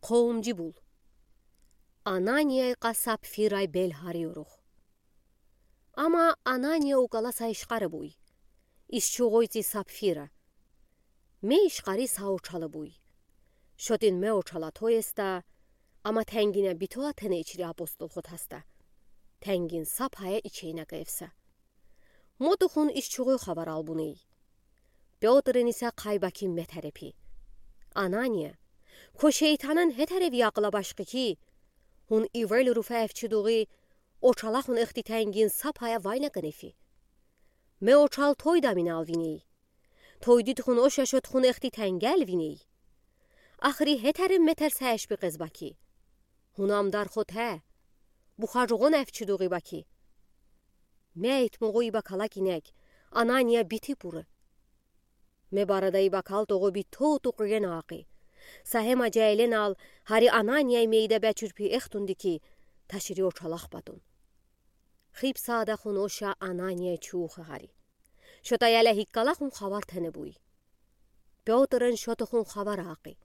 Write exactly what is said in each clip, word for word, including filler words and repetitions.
Кхоумжи бул. Ананияй кьа Сапфирай бел гьарйорух. Ама Анания укала са ишкъарибуй. Иш чугъойци Сапфира. Ме ишкъари са очалыбуй. Шотин ме очала тойеста, ама тенгина битола тенейчри апостолхо таста. Тенгин са пая ичейна кевса. Мотохун иш чугъой хабар албуней. Пётрин иса кхай бакин метерепи. Анания, кво шейтанын гьетерев якъла башкъи ки, хун ивел руфа эвчи дугъи, очалахун эхти тенгин са пая вайна кенефи. Ме очал тойдаминал виней. Тойдид хун оша шот хун эхти тенгел виней. Ахри гьетерем метер са эшби къезба ки. Хун амдархо те, бухажугъон эвчи дугъи баки. Ме итмугъу ибакала кинек, Анания бити пуры. Ме барада ибакал тогъо битоту къуьена акъи. Са гьема жайленал, гьари Ананияй мейда бечурпи эхтунди ки, ташири очалах батун. Хиб сада хун оша Ананияй чух гьари. Шота яла гьиккала хун хабар тенебуй. Пётрин шотохун хабар акъи.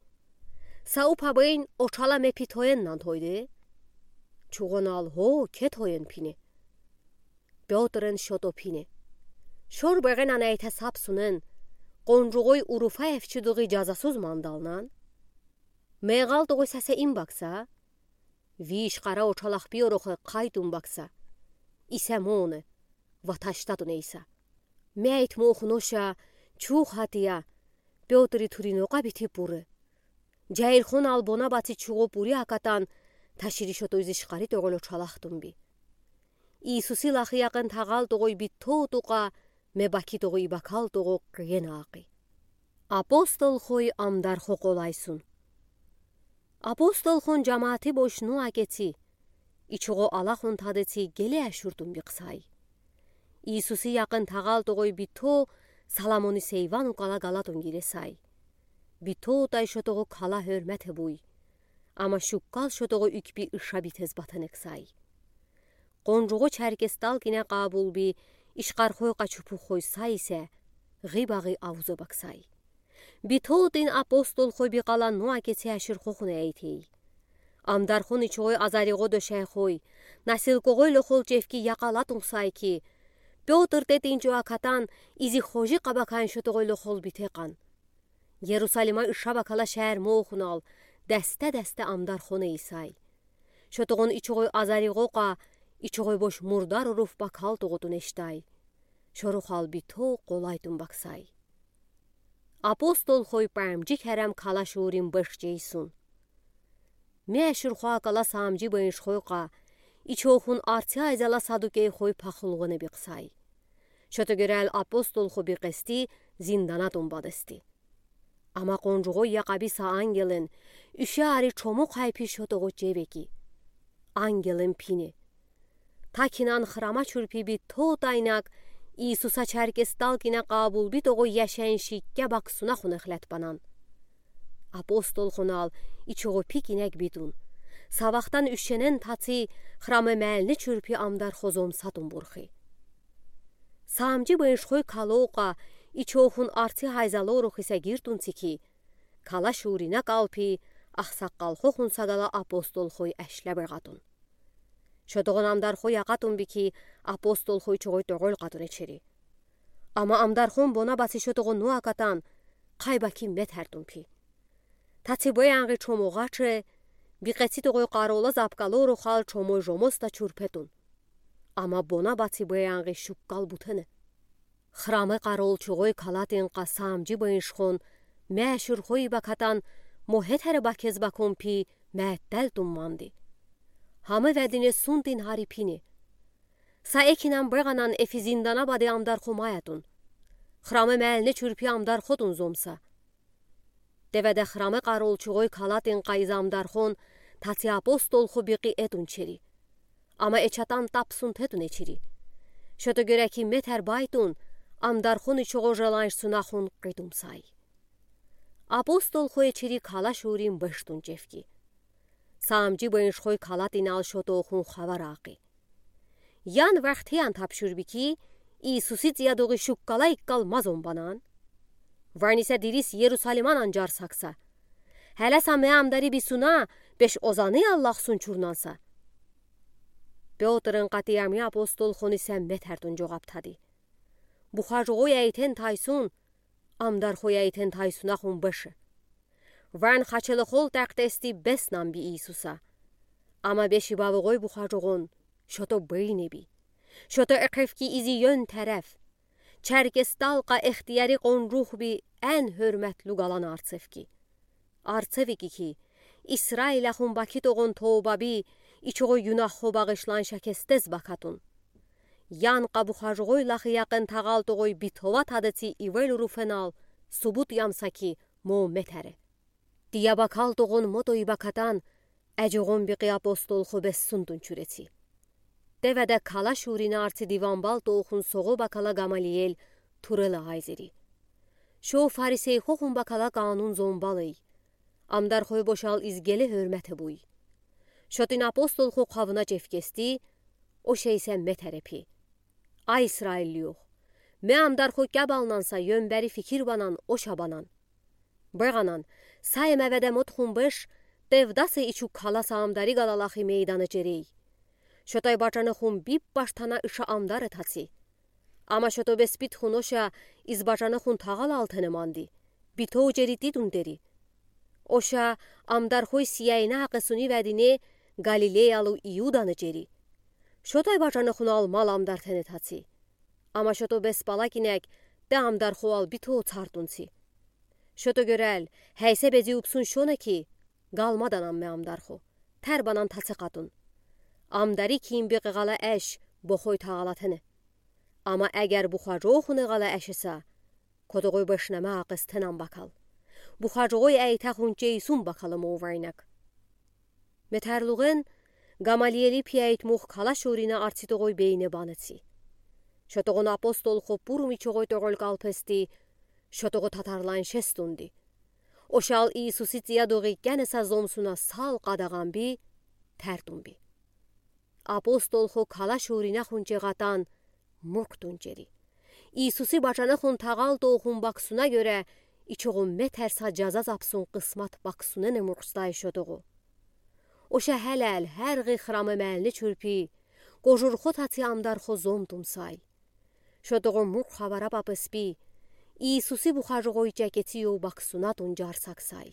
Са упа бейн очала ме пи тоеннан тойде? Чугъонал гьо, ке тоен пине. Пётрин шото пине. Шор бегенан эйте сапсунен, къонжугъой уруфа эвчи дугъи жазасуз мандалнан. Ме гъал тогъой са се ин бакса? Ви ишкъара очалах пиорохе кхайтун бакса. Иса моне, ва таштатун эйса. Ме итмугъу хун оша чух гьатия, Пётри турино къабити пуры. Жайрхунал бона баци чугъо пури акатан, ташири шото из ишкъари тогъол очалах тунби. Иисуси лахи якъин тагъал тогъой битоту кьа, ме баки тогъо ибакал тогъо къуьена акъи. Апостолхой амдархо къолайсун. Апостолхон жамаати бош нуа кеци, ичугъо алахун тадеци геле ашуртун бикъсай. Иисуси якъин тагъал тогъой бито Саламони сейван укъала галатун гиресай. Битотай шотогъо кала гьуьрмете буй. Ама шуккал шотогъо уькпи иша битез батенексай. Къонжугъо чаркестал кине къабулби ишкъархой къачупухой са исе, гъи багъи авуза баксай. Битотин апостолхой бикъала нуа кеци аширхохуна эйтей. Амдархон ичугъой азаригъо дошайхой, насилкогъой лохол чевки якъалатун сай ки, Пётр тетинчу акатан изи хожи къабакайн шотогъой лохол бите къан. Ерусалима иша бакала шаьр мохунал, дасте-дасте амдархон эйсай. Шотогъон ичугъой азаригъо кьа, ичугъой бош мурдар уруф бакал тогъутун эштай. Шорухал бито къолайтун баксай. Апостолхой памжи керем кала шуурин беш жейсун. Ме аширхо акала самжи бейншхой кьа, ичохун арци айзала садукейхой пахулгъуна бикъсай. Шото герел апостолхо бикъести зинданатун бадести. Ама къонжугъой якъаби са ангелин, уьше ари чому хайпи шотогъо чевеки. Ангелин пини. Такинан храма чурпи битотайнак, Иисуса чаркестал кине къабулби тогъо яшен шикке баксуна хунехлет банан. Апостолхонал ичугъо пикинек битун. Са вахтан уьшенен таци храма мелни чурпи амдархо зомсатун бурхи. Самжи бейншхой кала окъа, ичохун арци айзалорух исе гиртун цики, кала шуурина калпи, ахсаккалхохун сагала апостолхой ашле бегатун. Шотогъон амдархо якъатун бики, апостолхой чугъой тогъол къатун эчери. Ама амдархон бона баци шотогъон нуа катан, кай баки метертун пи. Таци бейангъи чому гъаче, бикъеци тогъой къарола запкалорухал чомой жомоста чурпетун. Ама бона баци бейангъи шуккал бутене. Храма къарол чугъой калатин къа самжи бейншхон, ме аширхой бакатан, мо гьетера бакез бакун пи, меттел тумманди. Гьама ведине сунтин гьари пини. Са экинан бегъанан эфи зиндана бади амдархо маятун. Храма мелни чурпи амдархо тун зомса. Деведе храма къарол чугъой калатин къа из амдархон, таци апостолхо бикъи этун чери. Ама эчатан тапсун тетун эчери. Шото гереки метер байтун, амдархон ичугъо желаншсуна хун къитумсай. Апостолхо эчери кала шуурин бештун чевки. Самжи бейншхой калатинал шотохун хавар акъи. Ян вахтиян тапшурби ки, Иисуси цияд угъи шуккала иккал мазун банан. Ваниса дирис Ерусалиманан жарсакса. Hələsə me amdari bisuna, beş ozanı Allahsun çurnansa. Pıtırın qatiyəmi apostol xonı sə metərtun coğab tadı. Buxacoğoy əytən taysun, Amdarxoy əytən taysunaxun bışe. Vən xaçılı xol təqdəsti bəsnən bi İsusə. Amma beşi bavığoy buxacoğon, şoto beyni bi. Şoto eqefki izi yön tərəf. Çərkes talqa extiyari qonruh bi ən hörmətlu qalan artsevki. Artseviki ki, İsrailəxun bakitoğon toba bi, içoğoy günahxo bağışlan şəkəstəz bakatun. Yanqa buxacoğoy laxi yəğın tağaltoğoy bitova tadıti ivel urufenal, subut yamsa ki, mo metəre. Diyə bakaltoğon motoy bakatan, əcoğon biqi apostolxo bəssuntun çürəti. Tevədə kala şurinə arti divanbal toxun soğo bakala Qamaliyel turılı ayziri. Şo fariseyxoxun bakala qanun zombalıy. Amdarxoy boşal izgəli hörməti buy. Şotin apostolxo qavına cevkesti, o şeysə metərəpi. Ay İsrailliyox, me amdarxo kəbalnansa yönbəri fikir banan, oşa banan. Bığanan, say məvədə motxun bış, tevdası içu kalasa amdari qalalaxi meydanı cerey. Şotoy bacanıxun bip baştana ışa amdarı taçi. Amma şoto bəs bitxun oşa iz bacanıxun tağal altını mandi. Bito ceri didun deri. Oşa amdarxoy siyəynə haqısuni vədini Qalileyalı İudanı ceri. Şotoy bacanıxun almal amdartını taçi. Amma şoto bəs bala kinək, de amdarxo al bito çartunçi. Şoto görəl, həysə bezi upsun şonə ki, qalmadan ammə amdarxo. Tərbanan taçı qatun. Amdari kim biqi qala əş, boxoy tağalatını. Amma əgər buxacoğoy xunə qala əşisə, kotoğoy bəşnəmə haqıstınən bakal. Buxacoğoy əytəxun ceysun bakalım o vəynək. Metərluğın Qamaliyeli piyəyt muxkala şurinə artitoğoy beyni banıti. Şotoğun apostolxo purmi çoğoy toğol qalpesti, şotoğu tatarlan şestundi. Oşal İsusi tiyə doği qənəsə zomsuna sal qadağan bi, tərtun bi. Apostolxo kala şurinəxun çeğatan murqtun ceri. İsusi bacanıxun tağal toxun baksuna görə, içoğun metərsə cəza zapsun qısmat baksunını murqstay şotoğu. Oşə hələl, hər ğıxramı məlni çürpi, qojurxo taçi amdarxo zomtumsay. Şotoğu murq havara papıspi, İsusi buxacoğoy çəkəti yo baksunatun carsaksay.